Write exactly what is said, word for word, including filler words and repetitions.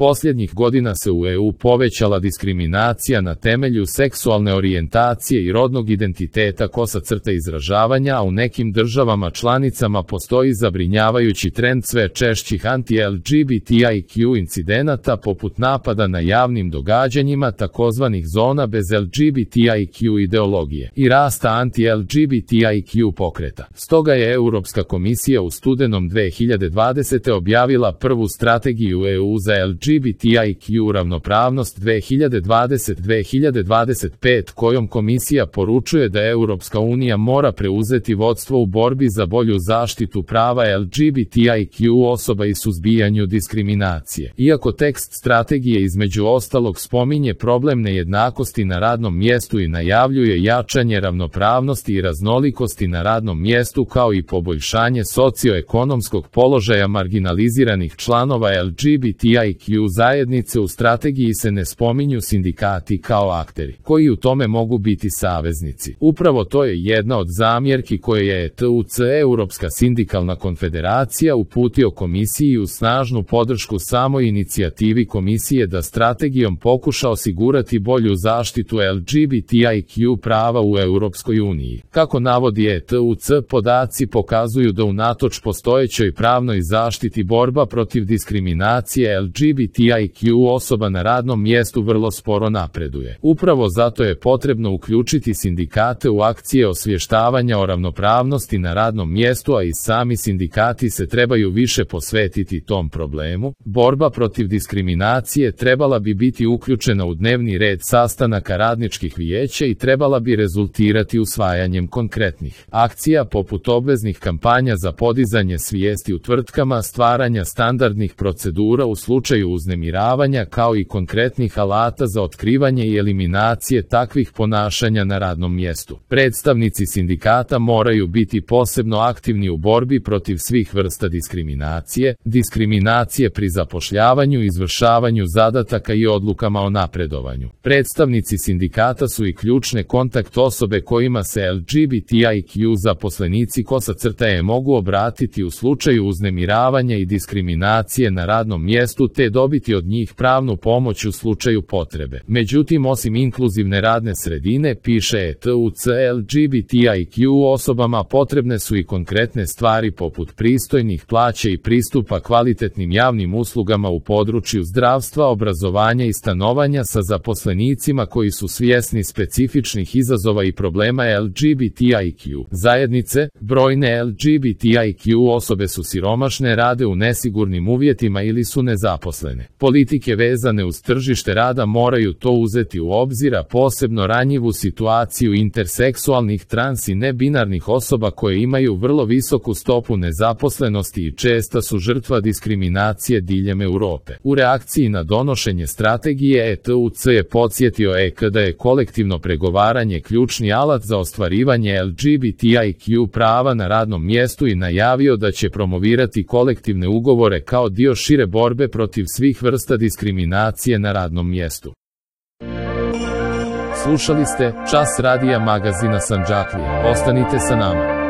Posljednjih godina se u E U povećala diskriminacija na temelju seksualne orijentacije i rodnog identiteta kosa crta izražavanja, a u nekim državama članicama postoji zabrinjavajući trend sve češćih anti-L G B T I Q incidenata poput napada na javnim događanjima takozvanih zona bez L G B T I Q ideologije i rasta anti-L G B T I Q pokreta. Stoga je Europska komisija u studenom dve hiljade dvadesete objavila prvu strategiju E U za L G B T I Q ravnopravnost dve hiljade dvadeset do dve hiljade dvadeset pet kojom komisija poručuje da Europska unija mora preuzeti vodstvo u borbi za bolju zaštitu prava L G B T I Q osoba i suzbijanju diskriminacije. Iako tekst strategije između ostalog spominje problem nejednakosti na radnom mjestu i najavljuje jačanje ravnopravnosti i raznolikosti na radnom mjestu kao i poboljšanje socioekonomskog položaja marginaliziranih članova L G B T I Q zajednice, u strategiji se ne spominju sindikati kao akteri, koji u tome mogu biti saveznici. Upravo to je jedna od zamjerki koje je E T U C, Europska sindikalna konfederacija, uputio komisiji u snažnu podršku samoj inicijativi komisije da strategijom pokuša osigurati bolju zaštitu L G B T I Q prava u Europskoj uniji. Kako navodi E T U C, podaci pokazuju da unatoč postojećoj pravnoj zaštiti borba protiv diskriminacije L G B T I Q osoba na radnom mjestu vrlo sporo napreduje. Upravo zato je potrebno uključiti sindikate u akcije osvještavanja o ravnopravnosti na radnom mjestu, a i sami sindikati se trebaju više posvetiti tom problemu. Borba protiv diskriminacije trebala bi biti uključena u dnevni red sastanaka radničkih vijeća i trebala bi rezultirati usvajanjem konkretnih akcija poput obveznih kampanja za podizanje svijesti u tvrtkama, stvaranja standardnih procedura u slučaju uznemiravanja kao i konkretnih alata za otkrivanje i eliminacije takvih ponašanja na radnom mjestu. Predstavnici sindikata moraju biti posebno aktivni u borbi protiv svih vrsta diskriminacije, diskriminacije pri zapošljavanju, izvršavanju zadataka i odlukama o napredovanju. Predstavnici sindikata su i ključne kontakt osobe kojima se L G B T I Q zaposlenici kosa crta E mogu obratiti u slučaju uznemiravanja i diskriminacije na radnom mjestu te dobiti od njih pravnu pomoć u slučaju potrebe. Međutim, osim inkluzivne radne sredine, piše E T U C, L G B T I Q osobama potrebne su i konkretne stvari poput pristojnih plaća i pristupa kvalitetnim javnim uslugama u području zdravstva, obrazovanja i stanovanja sa zaposlenicima koji su svjesni specifičnih izazova i problema L G B T I Q zajednice. Brojne L G B T I Q osobe su siromašne, rade u nesigurnim uvjetima ili su nezaposlene. Politike vezane uz tržište rada moraju to uzeti u obzir, a posebno ranjivu situaciju interseksualnih, trans i nebinarnih osoba koje imaju vrlo visoku stopu nezaposlenosti i česta su žrtva diskriminacije diljem Europe. U reakciji na donošenje strategije E T U C je podsjetio E K da je kolektivno pregovaranje ključni alat za ostvarivanje L G B T I Q prava na radnom mjestu i najavio da će promovirati kolektivne ugovore kao dio šire borbe protiv svih vrsta diskriminacije na radnom mjestu. Slušali ste Čas radija magazina Sandžaklija. Ostanite sa nama.